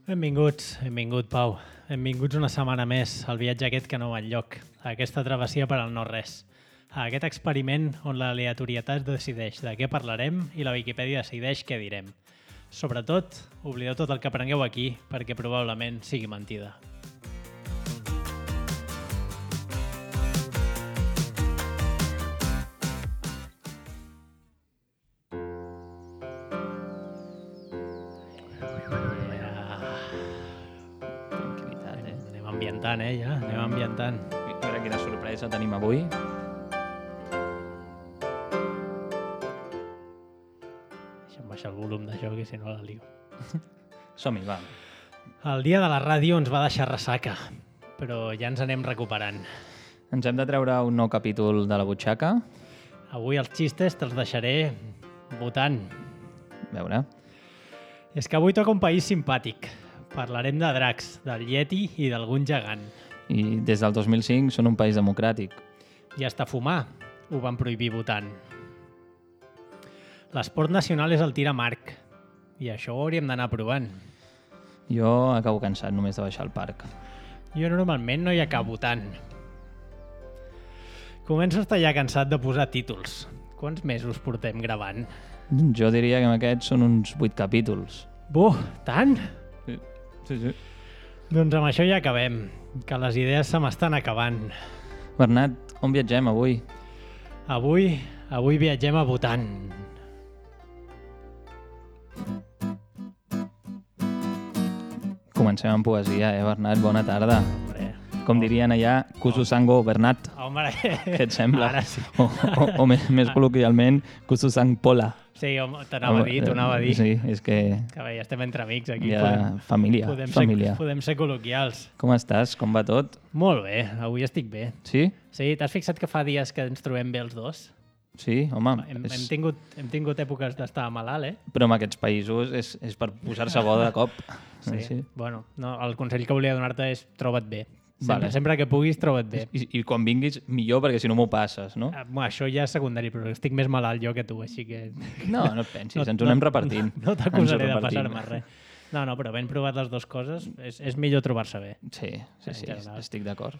Benvingut, Pau. Benvinguts una setmana més al viatge aquest que no va enlloc, a aquesta travessia per al no-res, a aquest experiment on l'aleatorietat decideix de què parlarem i la Viquipèdia decideix què direm. Sobretot, oblideu tot el que aprengueu aquí perquè probablement sigui mentida. Anem ambientant. Mira quina sorpresa tenim avui. Deixa'm baixar el volum d'això, que si no la lio. Som-hi, va. El dia de la ràdio ens va deixar ressaca, però ja ens anem recuperant. Ens hem de treure un nou capítol de la butxaca. Avui els xistes te'ls deixaré votant. A veure. És que avui toca un país simpàtic. Parlarem de dracs, del Yeti i d'algun gegant. I des del 2005 són un país democràtic. I hasta fumar ho van prohibir votant. L'esport nacional és el tir amb arc, i això ho hauríem d'anar provant. Jo acabo cansat només de baixar al parc. Jo normalment no hi acabo tant. Començo a estar ja cansat de posar títols. Quants mesos portem gravant? Jo diria que amb aquests són uns 8 capítols. Tant? Sí. Doncs amb això ja acabem, que les idees se m'estan acabant. Bernat, on viatgem avui? Avui viatgem a Bhutan. Comencem amb poesia, Bernat? Bona tarda. Com dirien allà, Kusu Sango Bernat. Home, què et sembla? Ara sí. O més col·loquialment, Kusu Sang Pola. Sí, home, t'anava a dir. Sí, és que... Que bé, ja estem entre amics aquí. Família. Podem ser col·loquials. Com estàs? Com va tot? Molt bé, avui estic bé. Sí? Sí, t'has fixat que fa dies que ens trobem bé els dos? Sí, home. Hem tingut èpoques d'estar malalt, Però en aquests països és per posar-se bo de cop. Sí. Bueno, no, el consell que volia donar-te és troba't bé. Sempre que puguis, troba't bé. I quan vinguis, millor, perquè si no m'ho passes, no? Això ja és secundari, però estic més malalt jo que tu, així que... No et pensis, ens ho anem repartint. No t'acusaré de passar-me res. No, però ben provat les dues coses, és millor trobar-se bé. Sí, estic d'acord.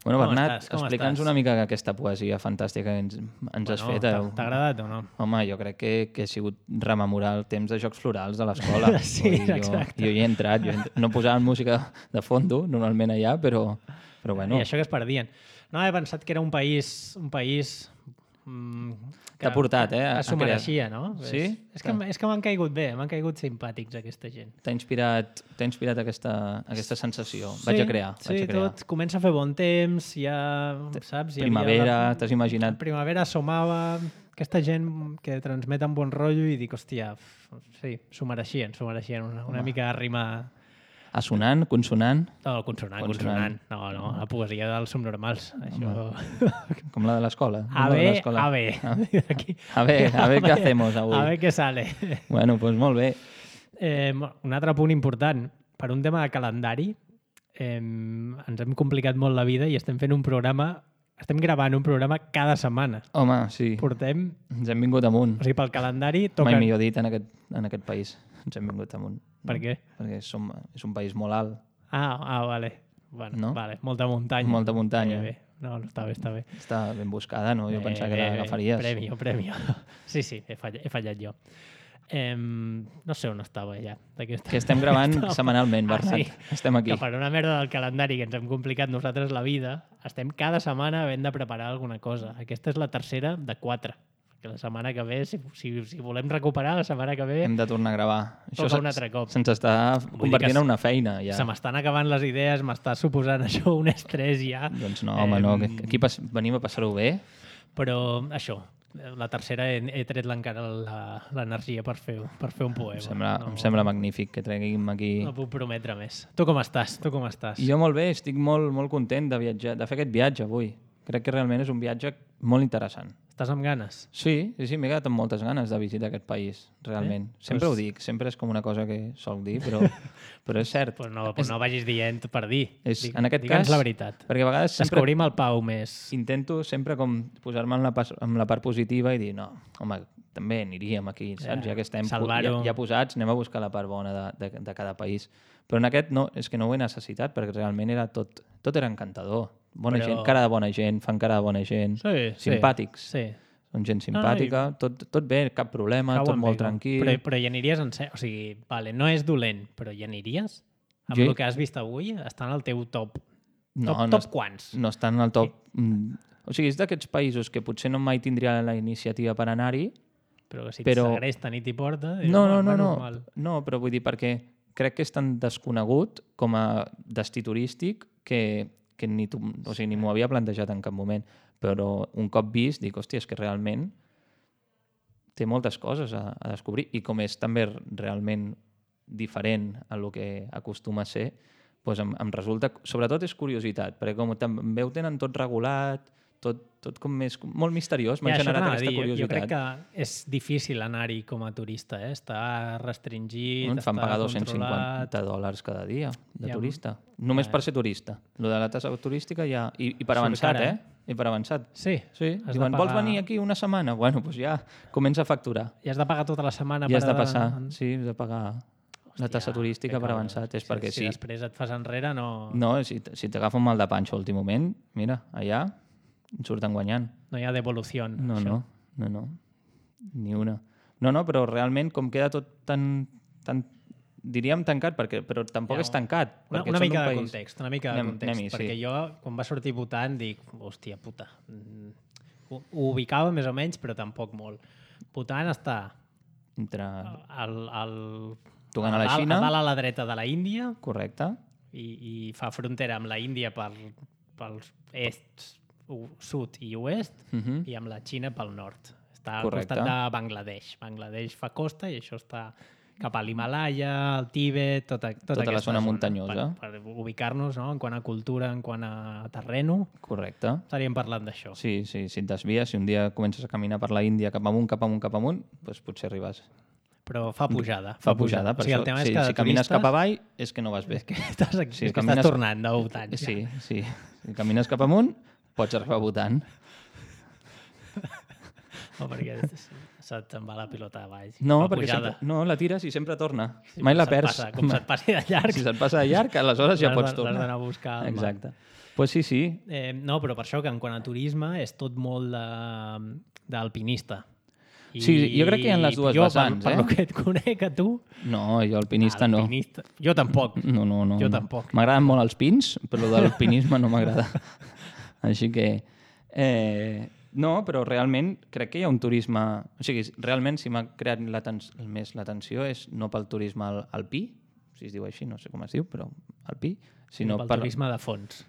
Bueno, Bernat, explica'ns una mica aquesta poesia fantàstica que ens has fet. T'ha agradat o no? Home, jo crec que ha sigut rememorar el temps de Jocs Florals de l'escola. Sí, exacte. Jo hi he entrat, no posaven música de fondo, normalment allà, però bueno. I això que es perdien. No, he pensat que era un país t'ha portat, que s'ho mereixia, no? Sí? És que m'han caigut bé, m'han caigut simpàtics aquesta gent. T'ha inspirat aquesta sensació. Vaig a crear. Tot comença a fer bon temps, ja, saps? Primavera, t'has imaginat? Primavera assomava, aquesta gent que transmeten bon rotllo i dic, hòstia, sí, s'ho mereixien una mica de rima... Assonant, consonant? No, consonant. No, la poesia dels subnormals. Això... Com la de l'escola. A ver, A ver què hacemos avui. A ver què sale. Bueno, doncs molt bé. Un altre punt important. Per un tema de calendari, ens hem complicat molt la vida i estem gravant un programa cada setmana. Home, sí. Ens hem vingut amunt. O sigui, pel calendari toca... Mai millor dit en aquest país. Ens hem vingut amunt. Per què? Perquè és un país molt alt. Vale. Bueno, no? Vale. Molta muntanya. Bé. No, està bé. Està ben buscada, no? Jo pensava que l'agafaries. Premio. Sí, he fallat jo. No sé on estava ja. Que estem gravant setmanalment, Bernat. Sí, estem aquí. Que per una merda del calendari que ens hem complicat nosaltres la vida, estem cada setmana havent de preparar alguna cosa. Aquesta és la tercera de 4. Que la setmana que ve, si volem recuperar, la setmana que ve... Hem de tornar a gravar. Això un altre cop. Se'ns està convertint en una feina, ja. Se m'estan acabant les idees, m'està suposant això un estrès ja. Doncs no, home, no. Aquí venim a passar-ho bé. Però això, la tercera he tret encara l'energia per fer un poema. Em sembla magnífic que treguim aquí... No puc prometre més. Tu com estàs? Jo molt bé, estic molt content de fer aquest viatge avui. Crec que realment és un viatge molt interessant. Estàs amb ganes? Sí, m'he quedat amb moltes ganes de visitar aquest país, realment. Sempre ho dic, sempre és com una cosa que soc dir, però és cert. Pues no vagis dient per dir. En aquest cas, la veritat. Perquè a vegades sempre descobrim el Pau més. Intento sempre com posar-me en la part positiva i dir, no, home, també aniríem aquí, saps? Ja que estem ja posats, anem a buscar la part bona de cada país. Però en aquest no, és que no ho he necessitat, perquè realment era tot era encantador. Bona gent, cara de bona gent, fan cara de bona gent, simpàtics. Sí. Són gent simpàtica, tot bé, cap problema, tot molt tranquil. Però hi aniries en sèrio? O sigui, vale, no és dolent, però hi aniries? Amb el que has vist avui, està en el teu top. Top quants? No està en el top... O sigui, és d'aquests països que potser no mai tindria la iniciativa per anar-hi. Però que si et segresten i t'hi porta... No, però vull dir, perquè crec que és tan desconegut com a destí turístic que ni m'ho havia plantejat en cap moment. Però un cop vist, dic, hòstia, és que realment té moltes coses a descobrir i com és també realment diferent a lo que acostuma a ser, doncs em resulta... Sobretot és curiositat, perquè com també ho tenen tot regulat, tot com més... Molt misteriós, m'ha generat aquesta curiositat. Jo crec que és difícil anar-hi com a turista, està restringit, està fan pagar controlat... $250 cada dia de turista. Només per ser turista. Lo de la tassa turística ja... I per avançat, I per avançat. Sí. Diuen, vols venir aquí una setmana? Bueno, doncs ja comença a facturar. I has de pagar tota la setmana per... I has de passar, sí, has de pagar la tassa turística per avançat. És perquè si després et fas enrere, no... No, si t'agafa un mal de panxa a l'últim moment, mira, allà en surten guanyant. No hi ha devolució. No. Ni una. No, però realment com queda tot tan diríem tancat, però tampoc és tancat. Una mica de context, perquè jo, quan va sortir votant, dic, hòstia puta, ho ubicava més o menys, però tampoc molt. Votant està tocant a la Xina, a dalt a la dreta de la Índia. Correcte. I fa frontera amb la Índia pels est, sud i oest, i amb la Xina pel nord. Està al costat de Bangladesh. Bangladesh fa costa i això està cap a l'Himalaya, el Tíbet, tota la zona muntanyosa. Per ubicar-nos, no? En quant a cultura, en quant a terreno. Correcte. Estaríem parlant d'això. Sí, si et desvies, si un dia comences a caminar per la Índia cap amunt, doncs potser arribes. Però fa pujada. Per això. Si camines cap avall, és que no vas bé. És que estàs tornant de votant. Sí. Si camines cap amunt, pots arribar votant. No, perquè se'n va la pilota a baix. No, perquè la tires i sempre torna. Mai la perds. Com se't passi de llarg. Si se't passa de llarg, aleshores ja pots tornar. L'has d'anar a buscar. Exacte. Pues sí. No, però per això que en quant a turisme és tot molt d'alpinista. Sí, jo crec que hi ha les dues vessants. Per lo que et conec a tu... No, jo alpinista no. Jo tampoc. No. Jo tampoc. M'agraden molt els pins, però el de l'alpinisme no m'agrada. Així que... No, però realment crec que hi ha un turisme... O sigui, realment si m'ha creat més l'atenció és no pel turisme alpí, si es diu així, no sé com es diu, però alpí, sinó pel turisme de fons.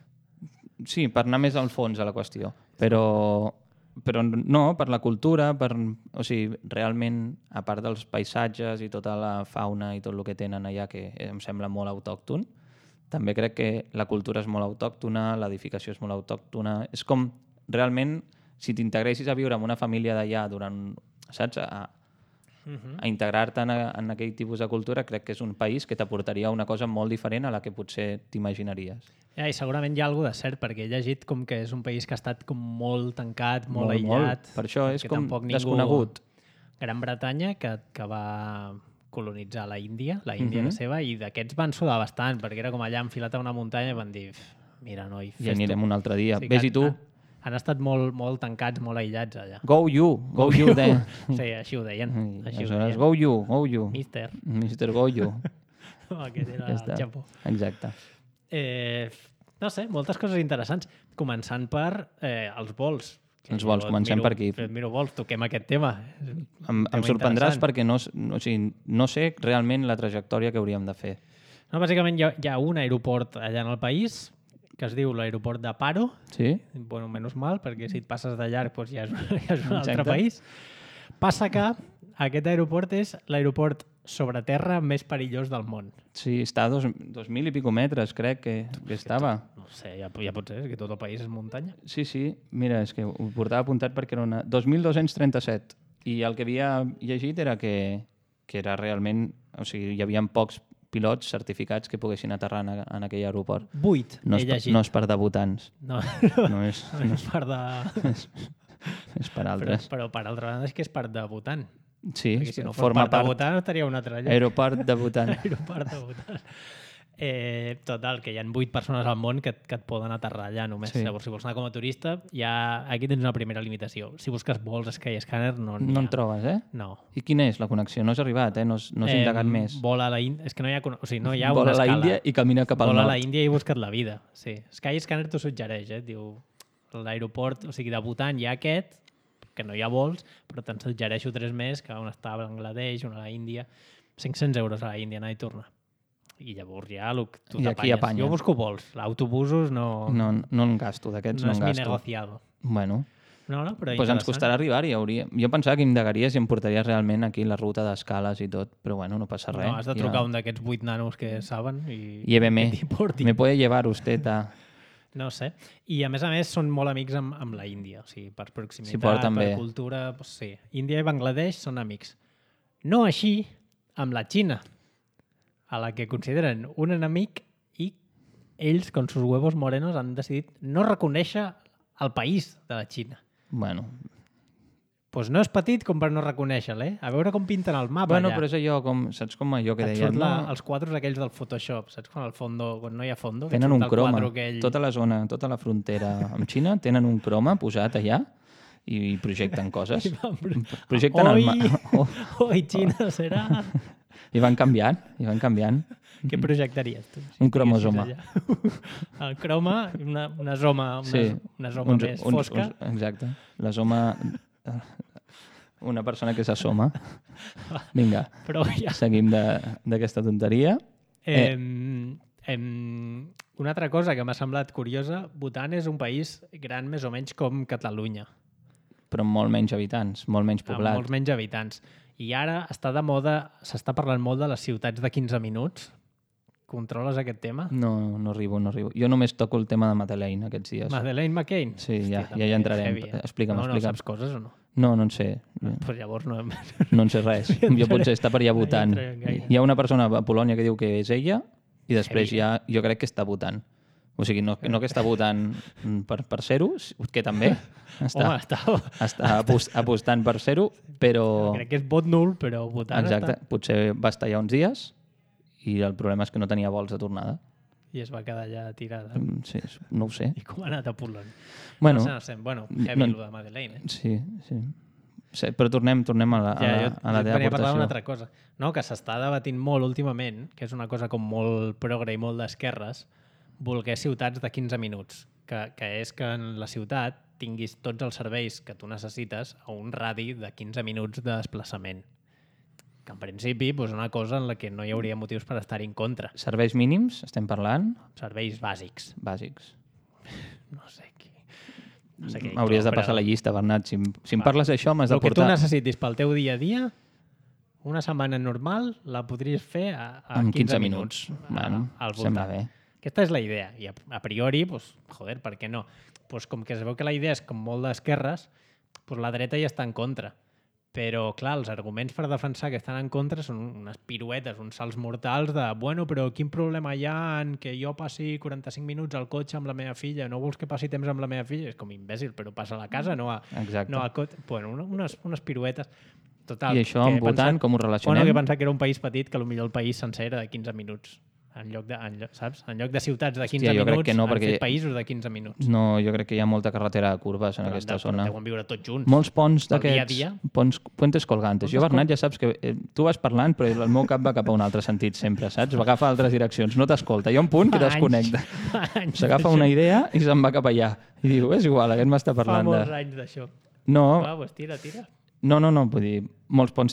Sí, per anar més al fons a la qüestió. Però no, per la cultura, o sigui, realment, a part dels paisatges i tota la fauna i tot el que tenen allà, que em sembla molt autòcton, també crec que la cultura és molt autòctona, l'edificació és molt autòctona. És com, realment, si t'integressis a viure amb una família d'allà durant, saps, a integrar-te en aquell tipus de cultura, crec que és un país que t'aportaria una cosa molt diferent a la que potser t'imaginaries. I segurament hi ha alguna de cert, perquè he llegit com que és un país que ha estat com molt tancat, molt aïllat. Molt. Per això és com desconegut. Gran Bretanya, que va colonitzar la Índia era seva, i d'aquests van sudar bastant, perquè era com allà enfilat a una muntanya i van dir, mira, noi, ja anirem un altre dia. Ves-hi tu. Han estat molt tancats, molt aïllats allà. Go you there. Sí, així ho deien. Go you. Mister Go you. Aquest era el Japó. Exacte. No sé, moltes coses interessants. Començant per els vols. Els vols, comencem per aquí. Miro vols, toquem aquest tema. Em sorprendràs perquè no sé realment la trajectòria que hauríem de fer. No, bàsicament hi ha un aeroport allà en el país que es diu l'aeroport de Paro. Sí. Bueno, menys mal, perquè si et passes de llarg doncs ja és un altre país. Passa que aquest aeroport és l'aeroport sobre terra més perillós del món. Sí, està a 2.000 i pico metres, crec que estava. No sé, ja pot ser, és que tot el país és muntanya. Sí, mira, és que ho portava apuntat perquè era una... 2.237. I el que havia llegit era que era realment... O sigui, hi havia pocs pilots certificats que poguessin aterrar en aquell aeroport. 8, No és per debutants. No és per de... És per altres. Però per altra banda és que és per debutant. Sí, perquè si no fos forma per debutant estaria un altre lloc. Aeroport debutant. Aeroport debutant. Total, que hi ha 8 persones al món que et poden aterrar allà només. Sí. Llavors, si vols anar com a turista, aquí tens una primera limitació. Si busques vols Skyscanner, no n'hi ha. No en trobes, eh? No. I quina és la connexió? No has arribat, no has indagat més. Vola a la Índia. És que no hi ha, no hi ha Vola una a la escala. Índia i camina cap al Vola nord. a la Índia i busca't la vida. Sí. Skyscanner t'ho suggereix, diu l'aeroport, o sigui, debutant hi ha aquest, que no hi ha vols, però te'n suggereixo 3 més, que un està a Bangladesh, un a la Índia. 500 euros a la Índia, anar i tornar. I llavors ja tu I aquí apanyes. Jo busco vols. Autobusos no en gasto, d'aquests no en és mi gasto. negociado. Bueno, No, però doncs ens costarà arribar-hi. Jo pensava que indagaries i em portaries realment aquí la ruta d'escales i tot, però bueno, no passa res. No, has de trucar un d'aquests 8 nanos que saben i Lléveme. t'hi portin. Me puede llevar usted a... No sé. I a més són molt amics amb la Índia. O sigui, per proximitat, S'hi porten per bé. cultura... Doncs sí. Índia i Bangladesh són amics. No així amb la Xina, a la que consideren un enemic i ells, con sus huevos morenos, han decidit no reconèixer el país de la Xina. Bueno, Pues no és petit com per no reconèixer-lo, eh? A veure com pinten el mapa bueno allà. però és allò, saps com allò que Et deien? surt No? els quadres aquells del Photoshop, saps? Quan no hi ha fondo. que et Tenen surt un el croma. quadre aquell. Tota la zona, tota la frontera amb Xina tenen un croma posat allà i projecten coses. Projecten el mapa. Hoy Xina serà... I van canviant, Què projectaries tu? Un cromosoma. El croma, una zoma, una zoma més fosca. Exacte. La zoma... Una persona que s'assoma. Vinga, Però ja... seguim d'aquesta tonteria. Una altra cosa que m'ha semblat curiosa, Bhutan és un país gran més o menys com Catalunya, Però amb molt menys habitants, molt menys amb poblat. molts menys habitants. I ara està de moda, s'està parlant molt de les ciutats de 15 minuts. Controles aquest tema? No arribo. Jo només toco el tema de Madeleine aquests dies. Madeleine McCain? Sí, ja també hi entrarem. heavy, eh? Explica'm. No saps coses o no? No en sé. Pues llavors no... No en sé res. Jo potser està per allà votant. No hi entrarem gaire. Hi ha una persona a Polònia que diu que és ella i després ja jo crec que està votant. O sigui, no que està votant per ser-ho, que també Home, està apostant per ser-ho, però... crec que és vot nul, però votant Exacte, està... potser va estar allà uns dies i el problema és que no tenia vols de tornada. I es va quedar allà tirada. Sí, no ho sé. I com ha anat a Polònia? Bueno, no sé. Bueno, heavy lo de Madeleine. Sí. Sí, però tornem a la teva parlar aportació. d'una altra cosa. No, que s'està debatint molt últimament, que és una cosa com molt progre i molt d'esquerres, voler ciutats de 15 minuts, que és que en la ciutat tinguis tots els serveis que tu necessites a un radi de 15 minuts de desplaçament. Que en principi és una cosa en la que no hi hauria motius per estar en contra. Serveis mínims, estem parlant? Serveis bàsics. Bàsics. No sé què. Hauries de passar la llista, Bernat. Si em parles d'això, m'has de El que tu portar... necessitis pel teu dia a dia, una setmana normal la podries fer a 15 minuts. Bueno, al sembla voltant. bé. Aquesta és la idea. I a priori, joder, per què no? Com que es veu que la idea és com molt d'esquerres, la dreta hi està en contra. Però, clar, els arguments per defensar que estan en contra són unes piruetes, uns salts mortals de bueno, però quin problema hi ha en que jo passi 45 minuts al cotxe amb la meva filla? No vols que passi temps amb la meva filla? És com imbècil, però passa a la casa, no al cotxe. Bueno, unes piruetes. Total, I això amb Bhutan, com ho relacionem? Bueno, que pensar que era un país petit, que potser el país sencer era de 15 minuts. En lloc de ciutats de 15 jo crec minuts, que no, han perquè... fet països de 15 minuts. No, jo crec que hi ha molta carretera de curves en aquesta zona. Deuen viure tots junts. Molts ponts Pel dia a d'aquests, dia. puentes colgantes. Jo, Bernat, ja saps que tu vas parlant, però el meu cap va cap a un altre sentit sempre, saps? Va agafar altres direccions, no t'escolta. Hi ha un punt que desconnecta. S'agafa una idea i se'n va cap allà. I diu, és igual, aquest m'està parlant de... Fa molts anys d'això. No, Va, doncs tira. no, vull dir, molts ponts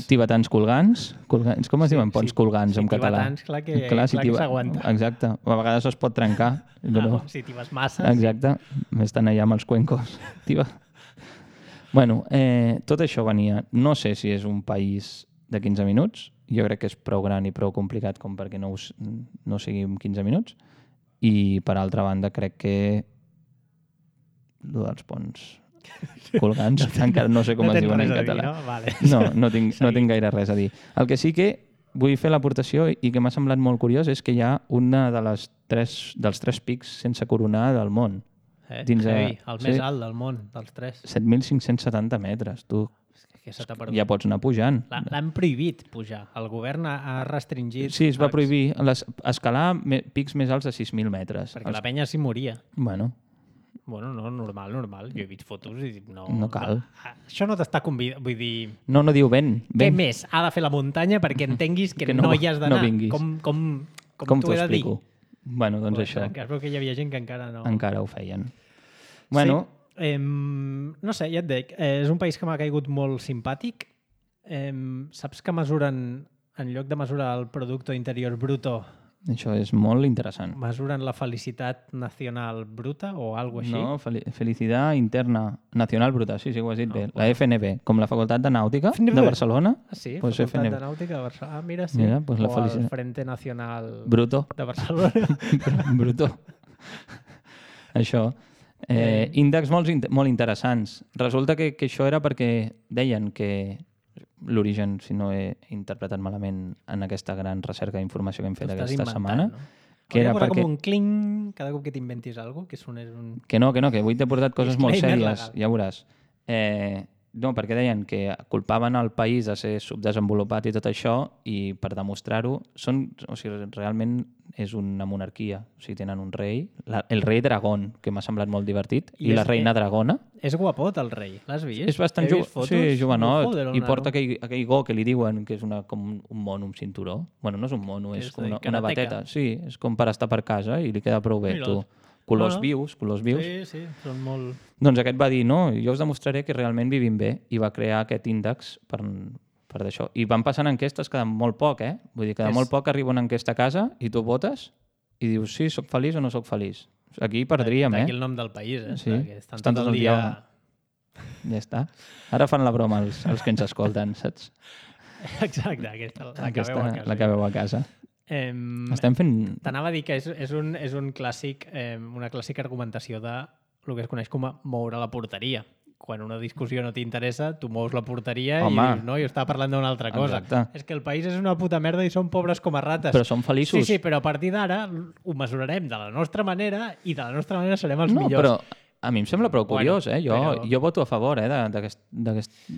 tibetans colgants. Com es diuen ponts colgants en català? Tibetans, clar que s'aguanta. Exacte, a vegades es pot trencar. Però... Si t'hi vas massa. Exacte, estan allà amb els cuencos. Bueno, tot això venia... No sé si és un país de 15 minuts. Jo crec que és prou gran i prou complicat com perquè no sigui en 15 minuts. I, per altra banda, crec que lo dels ponts colgants, encara no sé com es diuen en català. No? Vale. No tinc gaire res a dir. El que sí que vull fer l'aportació i que m'ha semblat molt curiós és que hi ha una dels tres pics sense coronar del món. El més alt del món, dels tres. 7.570 metres, tu. Ja pots anar pujant. L'han prohibit pujar. El govern ha restringit... Sí, es va prohibir escalar pics més alts de 6.000 metres. Perquè la penya s'hi moria. Bueno, no, normal. Jo he vist fotos i dic, no cal. Això no t'està convidat, vull dir... No diu ven. Què més ha de fer la muntanya perquè entenguis que no hi has d'anar? No vinguis. Com t'ho he de dir? Bueno, doncs això. Es veu que hi havia gent que encara no... Encara ho feien. Bueno... Sí. No sé, ja et dic, és un país que m'ha caigut molt simpàtic. Saps que mesuren, en lloc de mesurar el Producto Interior Bruto, això és molt interessant. Mesuren la felicitat nacional bruta o alguna així? No, felicitat interna nacional bruta, sí, ho has dit bé. La FNB, com la Facultat de Nàutica de Barcelona. Ah, sí, pues Facultat FNB. de Nàutica de Barcelona. Ah, mira, sí. Mira, pues o el Frente Nacional Bruto de Barcelona. Bruto. Això. Índexs molt interessants. Resulta que això era perquè deien que l'origen, si no he interpretat malament en aquesta gran recerca d'informació que hem fet aquesta setmana, no? que era perquè... com un cling cada cop que t'inventis alguna cosa, que sonés un... Que avui t'he portat coses molt sèries, legal. ja veuràs. No, perquè deien que culpaven el país de ser subdesenvolupat i tot això, i per demostrar-ho, realment és una monarquia. O sigui, tenen un rei, el rei Dragón, que m'ha semblat molt divertit, i la reina Dragona. És guapot, el rei. L'has vist? És bastant jovenot, i porta aquell go que li diuen que és com un mono amb cinturó. Bueno, no és un mono, és com una bateta. Sí, és com per estar per casa i li queda prou bé, tu. Colors vius. Sí, són molt... Doncs aquest va dir, no, jo us demostraré que realment vivim bé, i va crear aquest índex per d'això. I van passant enquestes cada molt poc, Vull dir, cada molt poc arriba una enquesta a casa i tu votes i dius, sí, soc feliç o no soc feliç. Aquí perdríem, D'aquí el nom del país, Sí, estan tot el dia... Ja està. Ara fan la broma els que ens escolten, saps? Exacte, la que veu a casa. Estem fent... T'anava a dir que és un clàssic, una clàssica argumentació de el que es coneix com a moure la porteria. Quan una discussió no t'interessa, tu mous la porteria i dius, no, jo estava parlant d'una altra cosa. Exacte. És que el país és una puta merda i som pobres com a rates. Però som feliços. Sí, però a partir d'ara ho mesurarem de la nostra manera i de la nostra manera serem els millors. Però a mi em sembla prou curiós, Jo voto a favor d'aquest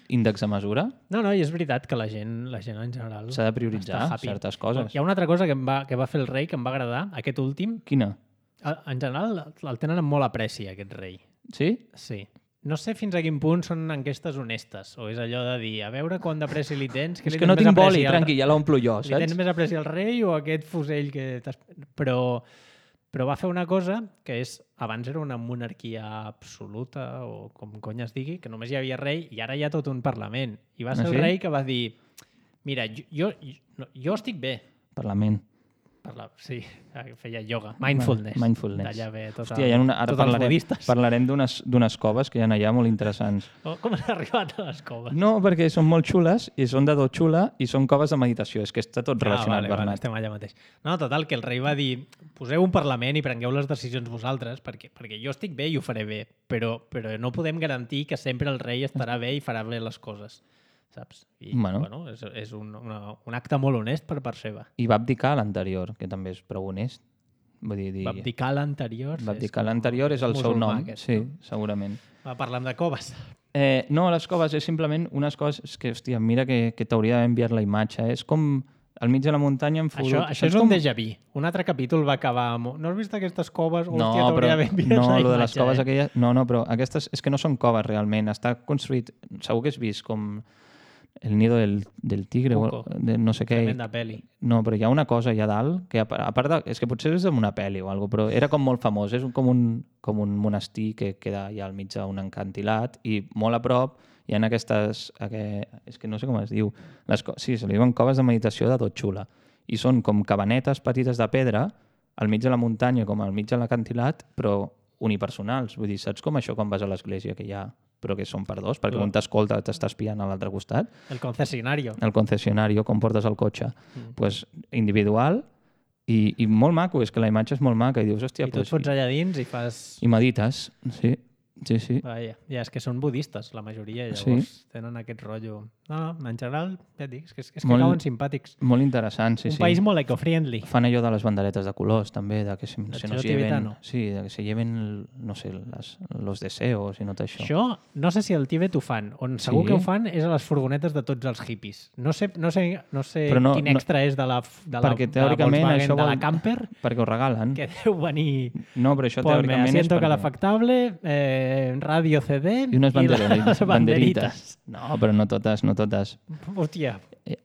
índex de mesura. No, i és veritat que la gent en general... S'ha de prioritzar certes coses. Hi ha una altra cosa que va fer el rei que em va agradar, aquest últim. Quina? En general el tenen amb molt apreci, aquest rei. Sí? Sí. No sé fins a quin punt són enquestes honestes, o és allò de dir, a veure quant d'apreci li tens... És que no tinc boli, tranqui, ja l'omplo jo, saps? Li tens més apreci al rei o aquest fusell que t'has... Però va fer una cosa que és... Abans era una monarquia absoluta, o com cony es digui, que només hi havia rei, i ara hi ha tot un parlament. I va ser el rei que va dir, mira, jo estic bé. Parlament. Sí, feia ioga. Mindfulness. Mindfulness. Hòstia, ara parlarem d'unes coves que hi ha allà molt interessants. Com has arribat a les coves? No, perquè són molt xules, i són de tot xula, i són coves de meditació. És que està tot relacionat, Bernat. Vale, estem allà mateix. No, total, que el rei va dir, poseu un parlament i prengueu les decisions vosaltres, perquè jo estic bé i ho faré bé, però no podem garantir que sempre el rei estarà bé i farà bé les coses. Saps? I, és un acte molt honest per part seva. I va abdicar l'anterior, que també és prou honest. Va abdicar l'anterior? Va abdicar l'anterior, és el seu nom. Sí, segurament. Va parlar de coves. No, les coves és simplement unes coses que, hòstia, mira que t'hauria d'haver enviat la imatge. És com al mig de la muntanya en fotut. Això és un déjà vu. Un altre capítol va acabar amb... No has vist aquestes coves? Hòstia, t'hauria d'haver enviat la imatge. No, lo de les coves aquelles... No, però aquestes és que no són coves realment. Està construït... Segur que has vist com... El nido del tigre, de no sé què. Tremenda pel·li. No, però hi ha una cosa allà dalt, que a part de... És que potser és d'una pel·li o alguna cosa, però era com molt famós. És com un monestir que queda allà al mig d'un encantilat i molt a prop hi ha aquestes... És que no sé com es diu. Sí, se li diuen coves de meditació de tot xula. I són com cabanetes petites de pedra al mig de la muntanya, com al mig de l'acantilat, però unipersonals. Vull dir, saps com això quan vas a l'església, que hi ha però que són per dos, perquè un t'escolta, t'està espiant a l'altre costat. El concesionario. El concessionario, com portes el cotxe. Pues, individual i molt maco, és que la imatge és molt maca i dius, hòstia... I tu et fots allà dins i fas... I medites, sí. Sí. Vaja, ja, és que són budistes, la majoria, llavors tenen aquest rotllo. No, en general, ja et dic, és que cauen simpàtics. Molt interessant, sí. Un país molt eco-friendly. Fan allò de les banderetes de colors, també, de que se nos lleven... Sí, de que se lleven, no sé, los deseos i no tot això. Això, no sé si al Tíbet ho fan. On segur que ho fan és a les furgonetes de tots els hippies. No sé quin extra és de la Volkswagen, de la camper. Perquè ho regalen. Que deu venir... No, però això teòricament és asiento calefactable, radio CD i unes banderites. No, però no totes. Hòstia.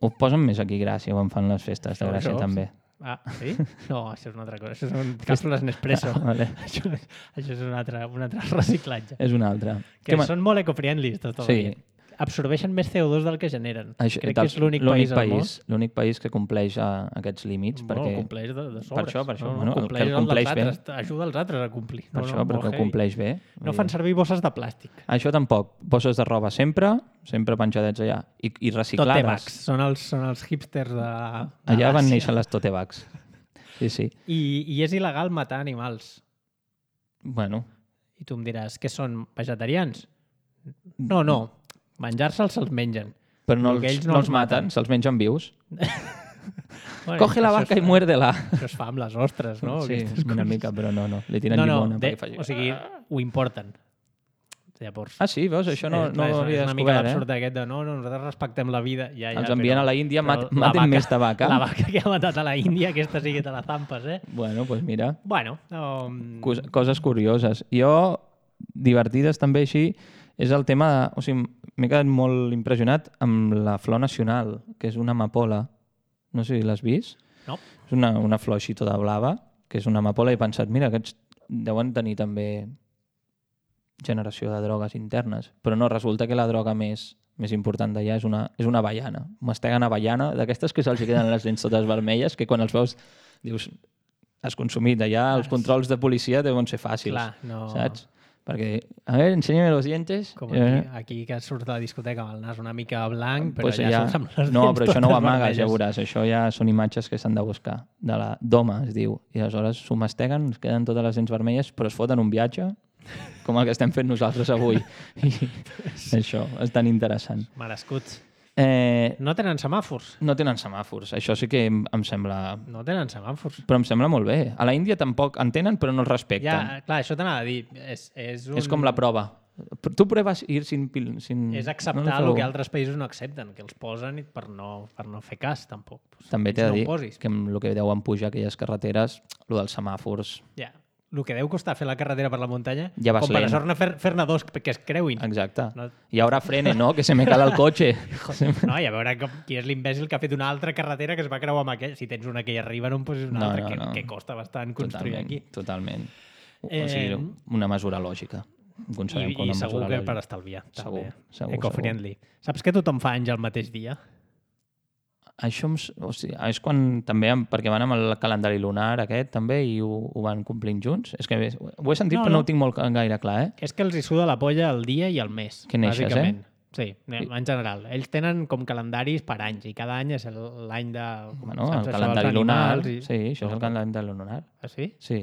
Ho posen més aquí Gràcia, quan fan les festes de Gràcia també. Ah, sí? No, això és una altra cosa. Això són càpsules Nespresso. Vale. Això és un altre reciclatge. És un altre. Que són molt eco-friendly, tot el dia. Absorbeixen més CO2 del que generen. Crec que és l'únic país al món. L'únic país que compleix aquests límits. Bueno, compleix de sobres. Per això. No, compleix bé. Ajuda els altres a complir. Per això, perquè ho compleix bé. No fan servir bosses de plàstic. Això tampoc. Bosses de roba sempre penjadets allà. I reciclades. Tote bags. Són els hipsters de allà van néixer les tote bags. Sí. I és il·legal matar animals. Bueno. I tu em diràs, què són, vegetarians? No. Menjar-se'ls se'ls mengen. Però no els maten, se'ls mengen vius. Bueno, coge la vaca i muérdela. Això es fa amb les ostres, no? Sí, una mica, però no. Li tiren llimona perquè faci... O sigui, ho importen. Llavors... Ah, sí? Veus? Això no ho havia descobert, És una mica l'absurd aquest de nosaltres respectem la vida. Els envien a la Índia, maten més de vaca. La vaca que ha matat a la Índia, aquesta sí que te la zampes, Bueno, doncs mira. Bueno. Coses curioses. Jo, divertides també així, és el tema de... O sigui, m'he quedat molt impressionat amb la flor nacional, que és una amapola. No sé si l'has vist. No. És una flor així tota blava, que és una amapola, i he pensat, mira, aquests deuen tenir també generació de drogues internes. Però no, resulta que la droga més important d'allà és una avellana. Masteguen avellana, d'aquestes que se'ls queden les dents totes vermelles, que quan els veus dius, has consumit. Allà els controls de policia deuen ser fàcils. Clar, no... Saps? Perquè, a ver, enséñame los dientes. Com aquí que surt de la discoteca amb el nas una mica blanc, però pues ja surts amb les dents. No, però això no ho amagues, vermelles. ja veuràs. Això ja són imatges que s'han de buscar. De la doma, es diu. I aleshores s'ho masteguen, es queden totes les dents vermelles, però es foten un viatge, com el que estem fent nosaltres avui. I això és tan interessant. Merescuts. No tenen semàfors. No tenen semàfors. Això sí que em sembla... No tenen semàfors. Però em sembla molt bé. A la Índia tampoc en tenen, però no els respecten. Ja, clar, això t'anava a dir. És com la prova. Tu proves ir sin... És acceptar el que altres països no accepten, que els posen per no fer cas, tampoc. També t'he de dir que amb el que deuen pujar aquelles carreteres, el dels semàfors... Ja. El que deu costar fer la carretera per la muntanya, ja com per sort fer-ne dos que es creuin. Exacte. No. I ara frene, no? Que se me cala el cotxe. No, i a veure qui és l'imbècil que ha fet una altra carretera que es va creuar amb aquell. Si tens una que hi arriba, no en posis una altra que costa bastant construir aquí. Totalment. O sigui, una mesura lògica. I segur que per estalviar. Segur. Eco-friendly. Saps que tothom fa anys el mateix dia? Això és quan també, perquè van amb el calendari lunar aquest també i ho van complint junts. És que ho he sentit però no ho tinc molt gaire clar, És que els hi suda la polla el dia i el mes. Que neixes, Sí, en general. Ells tenen com calendaris per anys i cada any és l'any de... Bueno, el calendari lunar. Sí, això és el calendari lunar. Ah, sí? Sí.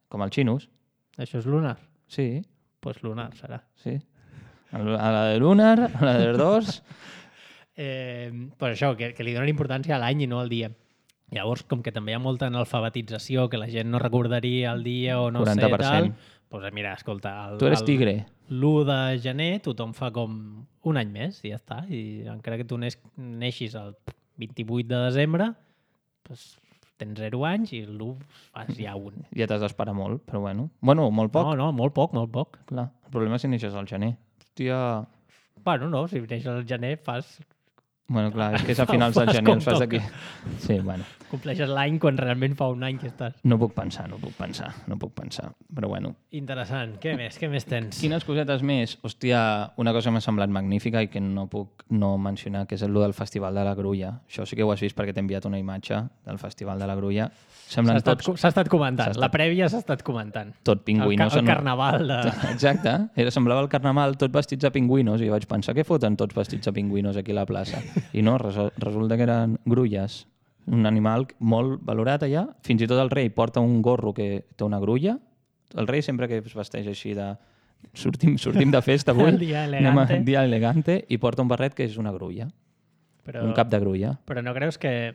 Com el xinus. Això és lunar? Sí. Doncs lunar serà. Sí. A la de lunar, a la de dos... Però això, que li donen importància a l'any i no al dia. Llavors, com que també hi ha molta analfabetització, que la gent no recordaria el dia o no 40%. sé tal, doncs mira, escolta... Tu eres tigre. L'1 de gener tothom fa com un any més i ja està. I encara que tu neixis el 28 de desembre, doncs tens 0 anys i l'1 fas ja un. Ja t'has d'esperar molt, però bueno. Bueno, molt poc. No, molt poc. Clar, el problema és si neixes al gener. Hòstia... Bueno, no, si neixes al gener fas... Bueno, clar, és que és a finals de Fas gener, com els fas toca. d'aquí. Sí, bueno. Compleixes l'any quan realment fa un any que estàs. No puc pensar. Però bueno. Interessant. Què més tens? Quines cosetes més? Hòstia, una cosa que m'ha semblat magnífica i que no puc no mencionar, que és el del Festival de la Grulla. Això sí que ho has vist perquè t'he enviat una imatge del Festival de la Grulla. Semblen S'ha estat comentant. La prèvia s'ha estat comentant. tot pingüinos. El carnaval de... Exacte. Semblava el carnaval tot vestits de pingüinos i jo vaig pensar què foten tots vestits de pingüinos aquí a la plaça. I no, resulta que eren grulles. Un animal molt valorat allà. Fins i tot el rei porta un gorro que té una grulla. El rei sempre que es vesteix així de... Sortim de festa avui. El dia elegante. Dia elegante. I porta un barret que és una grulla. Un cap de grulla. Però no creus que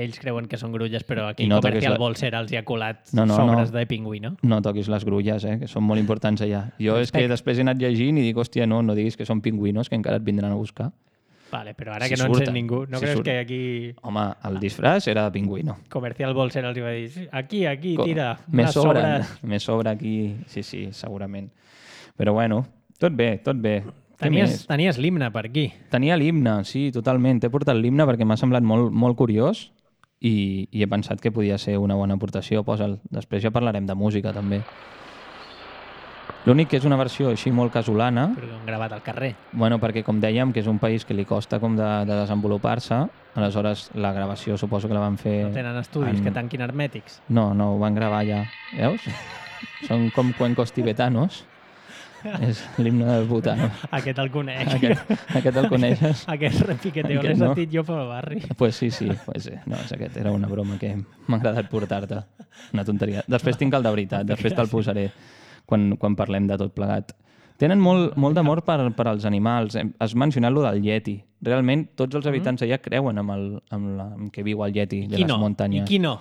ells creuen que són grulles, però aquí no Comercial Bolser els hi ha colat sobres de pingüino? No toquis les grulles, que són molt importants allà. Jo és que després he anat llegint i dic, hòstia, no diguis que són pingüinos, que encara et vindran a buscar. Vale, però ara que no en sent ningú, no creus que aquí... Home, el disfraç era de pingüino. Comercial Bolser els va dir, aquí, tira, me sobres. sobra aquí, sí, segurament. Però bueno, tot bé. Tenies l'himne per aquí. Tenia l'himne, sí, totalment. T'he portat l'himne perquè m'ha semblat molt, molt curiós i he pensat que podia ser una bona aportació. Posa'l. Després ja parlarem de música, també. L'únic que és una versió així molt casolana. Però han gravat al carrer. Bueno, perquè com dèiem, que és un país que li costa com de desenvolupar-se, aleshores la gravació suposo que la van fer... No tenen estudis que tanquin hermètics? No, ho van gravar ja. Veus? Són com cuencos tibetanos. És l'himne del Butano. Aquest el coneix. Aquest el coneixes? Aquest repiqueteo l'he sentit jo pel barri. Pues sí. No, aquest era una broma que m'ha agradat portar-te. Una tonteria. Després tinc el de veritat, després te'l posaré quan parlem de tot plegat. Tenen molt d'amor per als animals. Has mencionat lo del Yeti. Realment, tots els habitants allà creuen amb que viu el Yeti de les muntanyes. I qui no?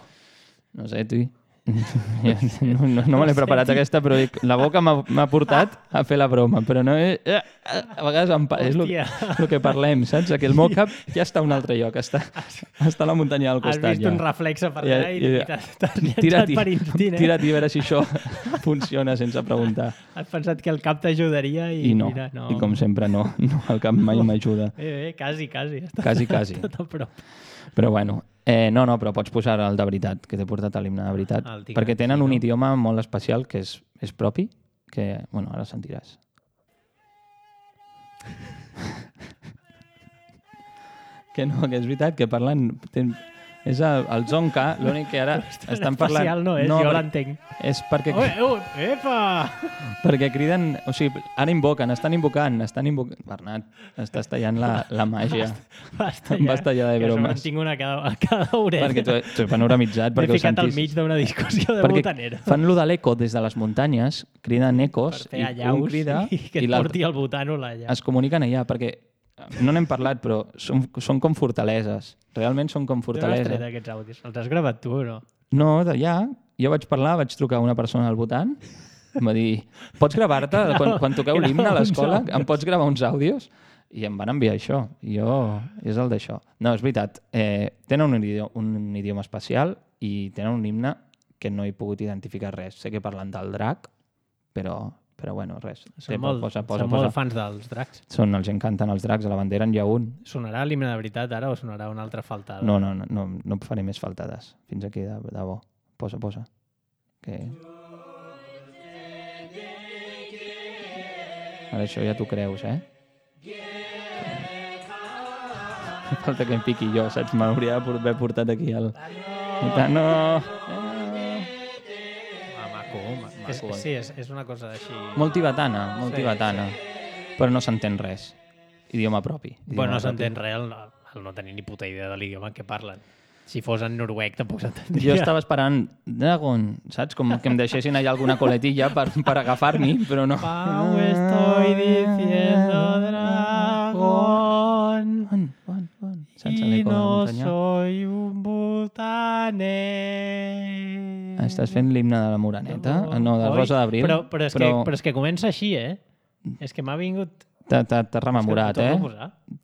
No sé, tu. No me l'he preparat aquesta, però la boca m'ha portat a fer la broma, però no és... A vegades és el que parlem, saps? Que el meu cap ja està a un altre lloc, està a la muntanya al costat. Has vist un reflexe per allà i t'has llançat per instint, Tira-t'hi a veure si això funciona sense preguntar. Has pensat que el cap t'ajudaria i mira, no. I com sempre no, el cap mai m'ajuda. Quasi. Quasi. Tot a prop. Però bueno, però pots posar el de veritat, que t'he portat a l'himne de veritat, perquè tenen un idioma molt especial que és propi, que, bueno, ara sentiràs. Que és veritat, que parlen... És el Zonka, l'únic que ara estan parlant... Especial no és, jo l'entenc. És perquè... Epa! Perquè criden... O sigui, ara estan invocant. Bernat, estàs tallant la màgia. Basta ja de bromes. Que tinc una a cada orella. Perquè tu ets panoramitzat. M'he ficat al mig d'una discussió de botanera. Fan lo de l'eco des de les muntanyes, criden ecos, i un crida i que et porti el botano allà. Es comuniquen allà, perquè no n'hem parlat, però són com fortaleses. Realment són com fortaleses. D'on has tret aquests àudios? Els has gravat tu o no? No, d'allà. Jo vaig trucar a una persona al Bhutan, em va dir, pots gravar-te quan toqueu l'himne a l'escola? Em pots gravar uns àudios? I em van enviar això. És el d'això. No, és veritat. Tenen un idioma especial i tenen un himne que no he pogut identificar res. Sé que parlen del drac, però bueno, res. Són molt fans dels dracs. Els encanten els dracs, a la bandera n'hi ha un. Sonarà l'himne de veritat ara o sonarà una altra faltada? No faré més faltades. Fins aquí, de bo. Posa. Ara això ja t'ho creus, Falta que em piqui jo, saps? M'hauria d'haver portat aquí el... No! Sí, és una cosa així... Molt tibetana, però no s'entén res. Idioma propi. Bueno, no s'entén res el no tenir ni puta idea de l'idioma que parlen. Si fos en noruec tampoc s'entendria. Jo estava esperant Dragon, saps? Com que em deixessin allà alguna coletilla per agafar-m'hi, però no. Pau, estoy diciendo Dragon. Y no soy un butaner. Estàs fent l'himne de la Moreneta? No, de Rosa d'Abril. Però és que comença així, És que m'ha vingut... T'has rememorat,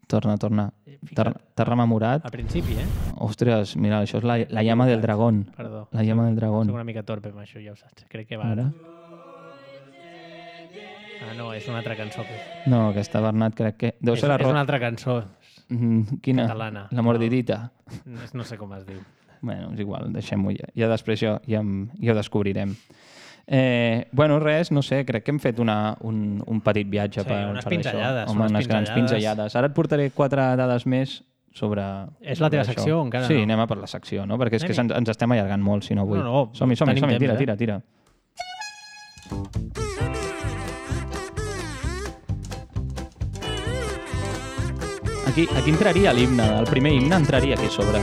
Torna. T'has rememorat. Al principi, Ostres, mira, això és la llama del dragón. Perdó. La llama del dragón. Soc una mica torpe amb això, ja ho saps. Crec que va ara. No, és una altra cançó. No, aquesta, Bernat, crec que... Deu ser la És una altra cançó. Quina? Catalana. La mordidita. No sé com es diu. Bueno, és igual, deixem-ho ja. Ja després ja ho descobrirem. Bueno, res, no sé, crec que hem fet un petit viatge per unes això. pinzellades. Home, unes grans pinzellades. Ara et portaré 4 dades més sobre... És la teva secció o encara no? Sí, no? anem a per la secció, no? Perquè és que ens estem allargant molt, si no avui. No, som-hi, tenim temps, tira. Aquí entraria l'himne, el primer himne entraria aquí a sobre.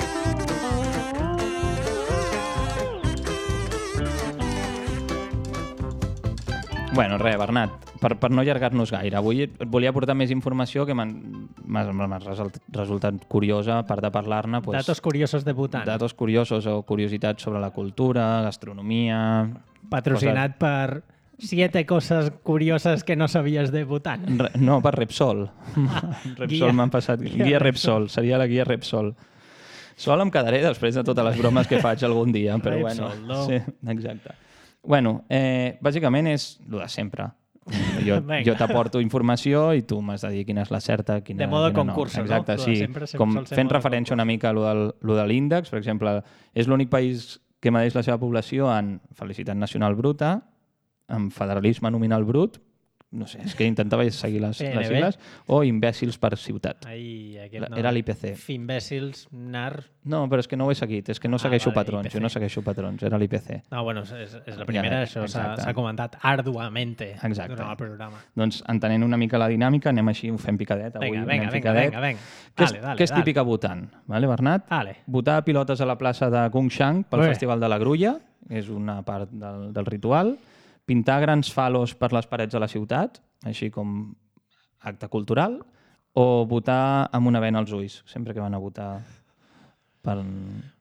Bueno, res, Bernat, per no allargar-nos gaire, avui et volia portar més informació que m'ha resultat curiosa, a part de parlar-ne... Datos curiosos de Bhutan. Datos curiosos o curiositats sobre la cultura, gastronomia... Patrocinat per 7 coses curioses que no sabies de Bhutan. No, per Repsol. Repsol m'han passat... Guia Repsol, seria la guia Repsol. Sol em quedaré després de totes les bromes que faig algun dia, però Repsol, bueno... no? Sí, exacte. Bueno, bàsicament és el de sempre. Jo t'aporto informació i tu m'has de dir quina és la certa, quina, de modo quina concurso, no. Exacte, no? sí. Com fent referència una mica a lo de l'índex, per exemple, és l'únic país que medeix la seva població en felicitat nacional bruta, en federalisme nominal brut, no sé, és que intentava seguir les sigles, o imbècils per ciutat. Ai, aquest no. Era l'IPC. Imbècils, NAR... No, però és que no ho he seguit, és que no segueixo vale, patrons, IPC. jo no segueixo patrons, era l'IPC. No, bueno, és la primera, això s'ha comentat arduamente durant el programa. Doncs entenent una mica la dinàmica, anem així, ho fem picadet. Vinga. Què és típic a Bhutan, vale, Bernat? Vale. Botar pilotes a la plaça de Gongshang pel Festival de la Grulla, és una part del ritual, pintar grans falos per les parets de la ciutat, així com acte cultural, o votar amb una vena als ulls, sempre que van a votar per...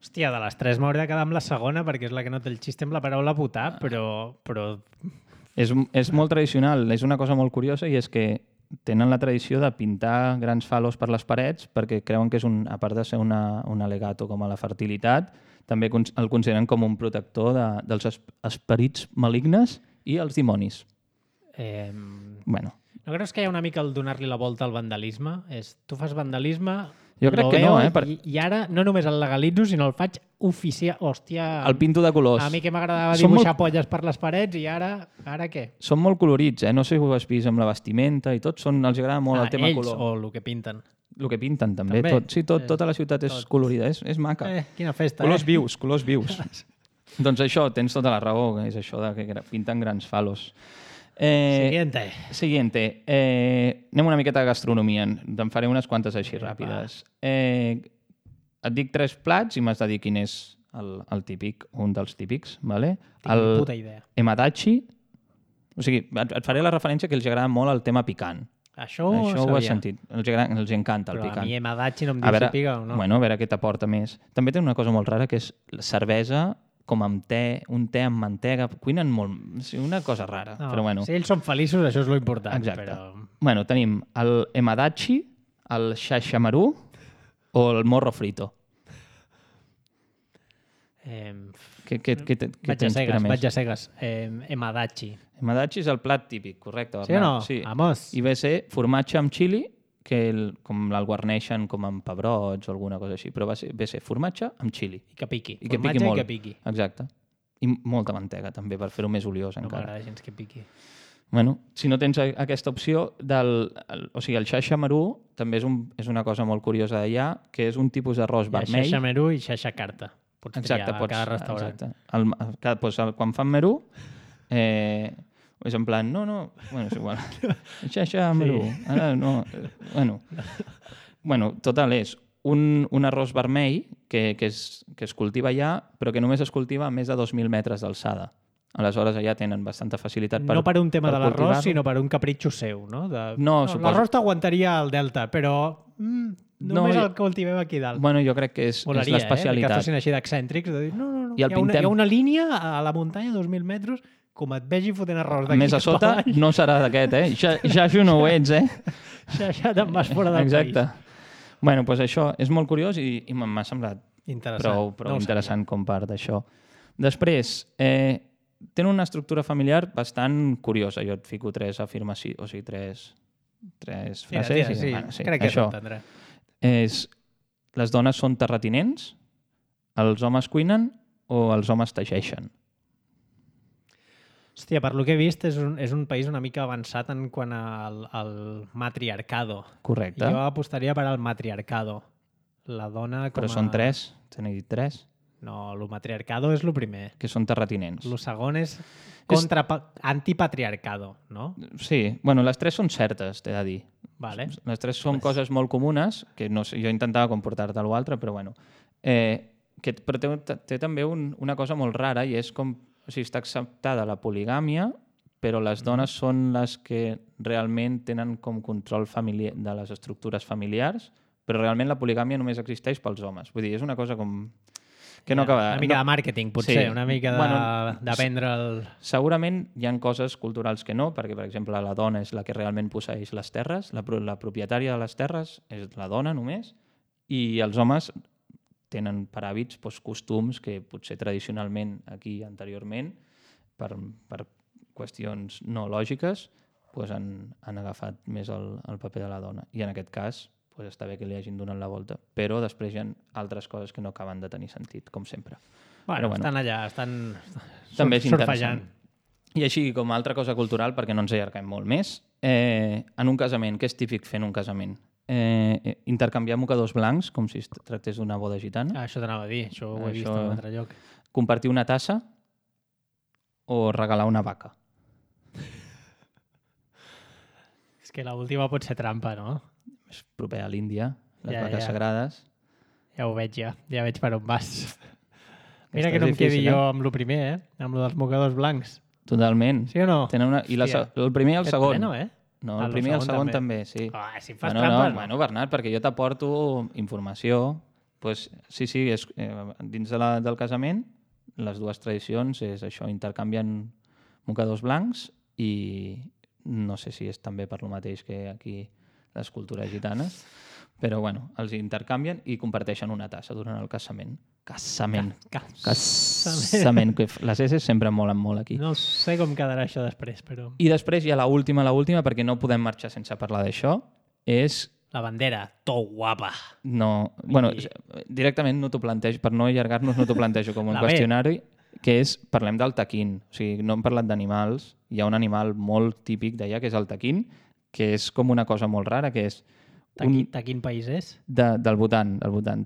Hòstia, de les 3 m'hauria de quedar amb la segona perquè és la que no té el xiste amb la paraula votar, però... És molt tradicional, és una cosa molt curiosa i és que tenen la tradició de pintar grans falos per les parets perquè creuen que és a part de ser un al·legato com a la fertilitat, també el consideren com un protector dels esperits malignes i els dimonis. Bueno. No creus que hi ha una mica el donar-li la volta al vandalisme? Tu fas vandalisme... Jo crec que no, I ara no només el legalitzo, sinó el faig oficial. Hòstia... El pinto de colors. A mi que m'agradava dibuixar polles per les parets i ara què? Són molt colorits, No sé si ho has vist amb la vestimenta i tot. Els agrada molt el tema color. O el que pinten. El que pinten també. Tota la ciutat és colorida, és maca. Quina festa, colors vius. Doncs això, tens tota la raó, és això de que pinten grans falos. Siguiente. Anem una miqueta de gastronomia. Te'n faré unes quantes així ràpides. Et dic 3 plats i m'has de dir quin és el típic, un dels típics. Vale? Tinc puta idea. Emadachi. O sigui, et faré la referència que els agrada molt el tema picant. Això ho has sentit. Els encanta el picant. Però a mi Emadachi no em diu si pica o no. Bueno, a veure què t'aporta més. També té una cosa molt rara que és la cervesa com amb te, un te amb mantega, cuinen molt... Sí, una cosa rara, però bueno. Si ells són feliços, això és lo important. Exacte. Però... Bueno, tenim el emadachi, el shashamaru o el morro frito. Què t'inspira més? Vaig a cegues. Emadachi. Emadachi és el plat típic, correcte. Sí o no? Sí. Vamos. I ve a ser formatge amb xili, que com el guarneixen com amb pebrots o alguna cosa així, però ve a ser formatge amb xili. I que piqui. I que piqui molt. I que piqui. Exacte. I molta mantega, també, per fer-ho més oliós encara. No m'agrada gens que piqui. Bueno, si no tens aquesta opció o sigui, el shashamaru també és una cosa molt curiosa d'allà, que és un tipus d'arròs vermell. Shashamaru i shashakarta. Pots triar a cada restaurant. Exacte. Quan fan meru, és en plan, bueno, és igual. Shashamaru. Ara no... Bueno, total, és un arròs vermell que es cultiva allà, però que només es cultiva a més de 2.000 metres d'alçada. Aleshores, allà tenen bastanta facilitat per... No per un tema de l'arròs, sinó per un capritxo seu, no? L'arròs t'aguantaria al delta, però només el cultivem aquí dalt. Bueno, jo crec que és l'especialitat. Que fossin així d'excèntrics, de dir, no. Hi ha una línia a la muntanya, 2.000 metres, com et vegi fotent arròs d'aquí. Més a sota no serà d'aquest, Ja no ho ets, Ja te'n vas fora del país. Exacte. Bueno, doncs això és molt curiós i m'ha semblat prou interessant com part d'això. Després, tenen una estructura familiar bastant curiosa. Jo et fico 3 afirmacions, o sigui, 3 frases. Sí, crec que s'entendrà. és les dones són terratinents, els homes cuinen o els homes teixeixen? Hòstia, per lo que he vist, és un país una mica avançat en quant al matriarcado. Correcte. Jo apostaria per al matriarcado. La dona com Però són 3, t'he dit 3, No, el matriarcado és el primer. que són terratinents. El segon és antipatriarcado, no? Sí, bueno, les 3 són certes, t'he de dir. Vale. Les 3 són coses molt comunes, que no sé, jo intentava comportar-te a l'altre, però bueno. Però té també una cosa molt rara i és com, o sigui, està acceptada la poligàmia, però les dones són les que realment tenen com control familiar de les estructures familiars, però realment la poligàmia només existeix pels homes. Vull dir, és una cosa com que no acaba... Una mica de màrqueting, potser, una mica d'aprendre el... Segurament hi ha coses culturals que no, perquè, per exemple, la dona és la que realment posseeix les terres, la propietària de les terres és la dona només, i els homes tenen per hàbits costums que potser tradicionalment aquí anteriorment, per qüestions no lògiques, han agafat més el paper de la dona. I en aquest cas està bé que li hagin donat la volta. Però després hi ha altres coses que no acaben de tenir sentit, com sempre. Bueno, estan allà, estan també és surfejant. I així, com a altra cosa cultural, perquè no ens allarguem molt més, en un casament, què és típic fer en un casament? Intercanviar mocadors blancs, com si es tractés d'una boda gitana. Això t'anava a dir, això ho he vist en un altre lloc. Compartir una tassa o regalar una vaca. És que l'última pot ser trampa, no? És proper a l'Índia, les vaques sagrades. Ja ho veig, ja veig per on vas. Mira que no em quedi jo amb el primer, amb el dels mocadors blancs. Totalment. Sí o no? I el primer i el segon. Pleno, No, el primer i el segon també, sí. Si em fas trampes, no. Bueno, Bernat, perquè jo t'aporto informació. Sí, dins del casament, les dues tradicions és això, intercanvien mocadors blancs i no sé si és també per lo mateix que aquí les cultures gitanes, però bueno, els intercanvien i comparteixen una tassa durant el casament. Casament. Que les S sempre molen molt aquí. No sé com quedarà això després, però... I després hi ha l'última, perquè no podem marxar sense parlar d'això, és... La bandera, to guapa. No, bueno, directament no t'ho plantejo, per no allargar-nos no t'ho plantejo com un qüestionari, que és, parlem del taquín. O sigui, no hem parlat d'animals, hi ha un animal molt típic d'allà, que és el taquín, que és com una cosa molt rara, que és... De quin país és? Del Bhutan,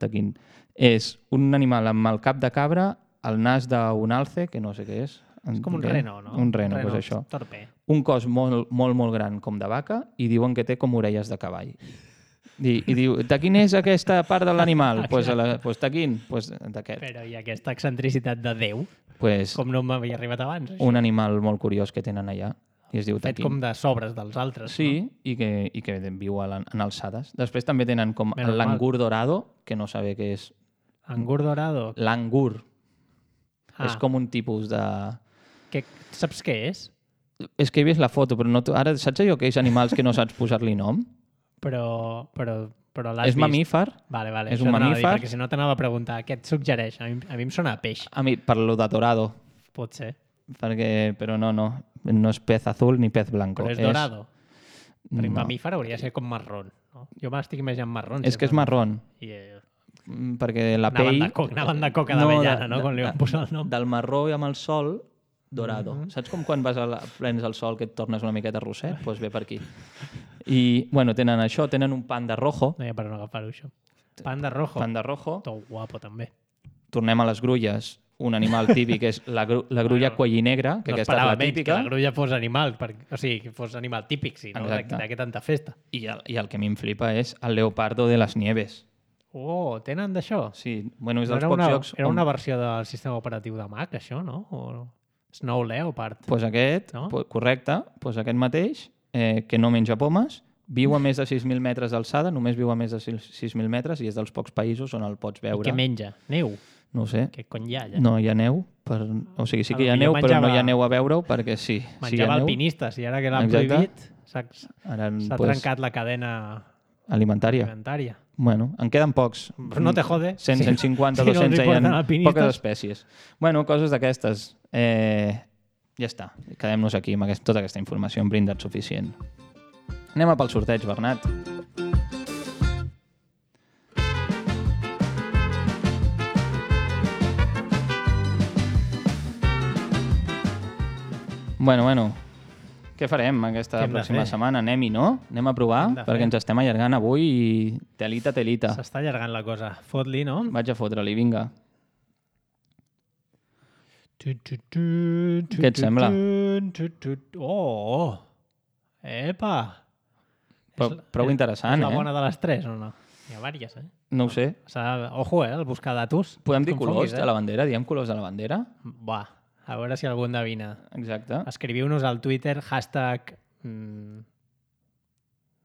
taquín. És un animal amb el cap de cabra, el nas d'un alce, que no sé què és. És com un reno, no? Un reno, doncs això. Torpe. Un cos molt, molt, molt gran com de vaca i diuen que té com orelles de cavall. I diu, de quin és aquesta part de l'animal? Doncs taquín, d'aquest. Però i aquesta excentricitat de Déu? Com no m'havia arribat abans? Un animal molt curiós que tenen allà. I es diu fet com de sobres dels altres. Sí, no? i que viu en alçades. Després també tenen com l'angur dorado, que no sabe què és. Angur dorado? L'angur. És com un tipus de... Saps què és? És que he vist la foto, però no ara saps allò que és animals que no saps posar-li nom? Però l'has vist. És mamífer. Vale. És un mamífer. Perquè si no t'anava a preguntar, què et suggereix? A mi em sona a peix. A mi, per lo de dorado. Pot ser. Però no és pez azul ni pez blanco. Però és dorado. Perquè mamífer hauria de ser com marrón. No? Jo m'estic imaginant marrón. És que és marrón. Perquè la pell... Anaven de coca d'avellana, no? Quan li van posar el nom. Del marró i amb el sol, dorado. Saps com quan prens el sol que et tornes una miqueta rosset? Doncs ve per aquí. I, bueno, tenen això, tenen un panda rojo. No hi ha per on agafar-ho, això. Panda rojo. Panda rojo. Tot guapo, també. Tornem a les grulles. Un animal típic és la grulla cuellinegra, que aquesta és la típica. Que la grulla fos animal, o sigui, que fos animal típic, si no, de què tanta festa. I el que a mi em flipa és el leopardo de les nieves. Oh, tenen d'això? Sí, bueno, és dels pocs jocs... Era una versió del sistema operatiu de Mac, això, no? O Snow Leopard. Doncs aquest, correcte, aquest mateix, que no menja pomes, viu a més de 6.000 metres d'alçada, només viu a més de 6.000 metres i és dels pocs països on el pots veure. I què menja? Neu? No ho sé. Què cony hi ha allà? No hi ha neu. O sigui, sí que hi ha neu, però no hi ha neu a veure-ho perquè sí. Menjava alpinistes i ara que l'han prohibit s'ha trencat la cadena alimentària. Bueno, en queden pocs. Però no te jode. 150, 200, hi ha poques espècies. Bueno, coses d'aquestes. Ja està. Quedem-nos aquí amb tota aquesta informació. Hem brindat suficient. Anem a pel sorteig, Bernat. Bueno. Què farem aquesta Què hem de pròxima fer? setmana? Anem-hi, no? Anem a provar, Hem de fer. perquè ens estem allargant avui i telita. S'està allargant la cosa. Fot-li, no? Vaig a fotre-li, vinga. Què et sembla? Oh! Epa! Prou interessant, és la eh? bona de les tres, o no? Hi ha vàries, No ho sé. Ojo, el buscar datos. Podem dir Confonguis, colors de la bandera? Diem colors de la bandera? Va, a veure si algú endevina. Exacte. Escriviu-nos al Twitter, hashtag...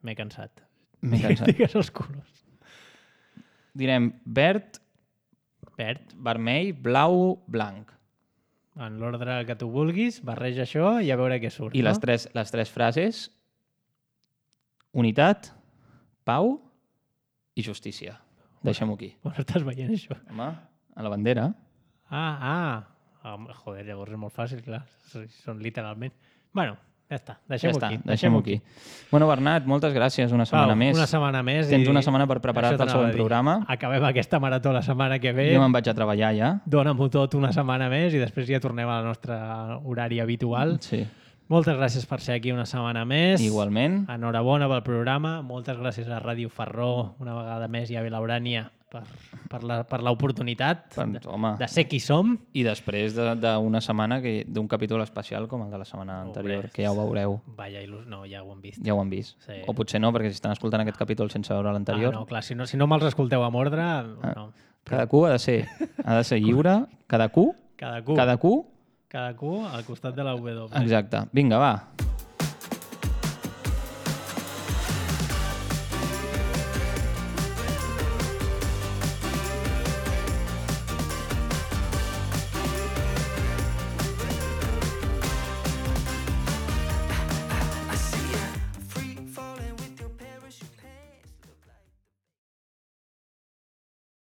M'he cansat. M'he cansat. Digues els colors. Direm verd, Verd, vermell, blau, blanc. en l'ordre que tu vulguis, barreja això i a veure què surt. I no? les tres frases: unitat, pau i justícia. Deixem-ho aquí. On estàs veient això? Home, a la bandera. Joder, llavors és molt fàcil, clar. Són literalment... Bueno, ja està. Ja Deixem-ho està, aquí. deixem-ho aquí. Bueno, Bernat, moltes gràcies una setmana més. Una setmana més. Tens una setmana per preparar-te Això el t'anava següent a dir. programa. Acabem aquesta marató la setmana que ve. Jo me'n vaig a treballar ja. Dóna-m'ho tot una setmana més i després ja tornem al nostre horari habitual. Sí, Moltes gràcies per ser aquí una setmana més. igualment. Enhorabona pel programa. Moltes gràcies a Ràdio Ferró una vegada més i a Vilaurània per l'oportunitat Home, de ser qui som. i després d'una setmana, d'un capítol especial com el de la setmana anterior, que ja ho veureu. Vaya no, ja ho hem vist. Ja ho han vist. Sí. O potser no, perquè si estan escoltant aquest capítol sense veure l'anterior, No, clar, si no me'ls escolteu amb ordre, no. cadascú ha de ser lliure, cadascú Cadascú al al costat de la W. Exacte. Vinga, va.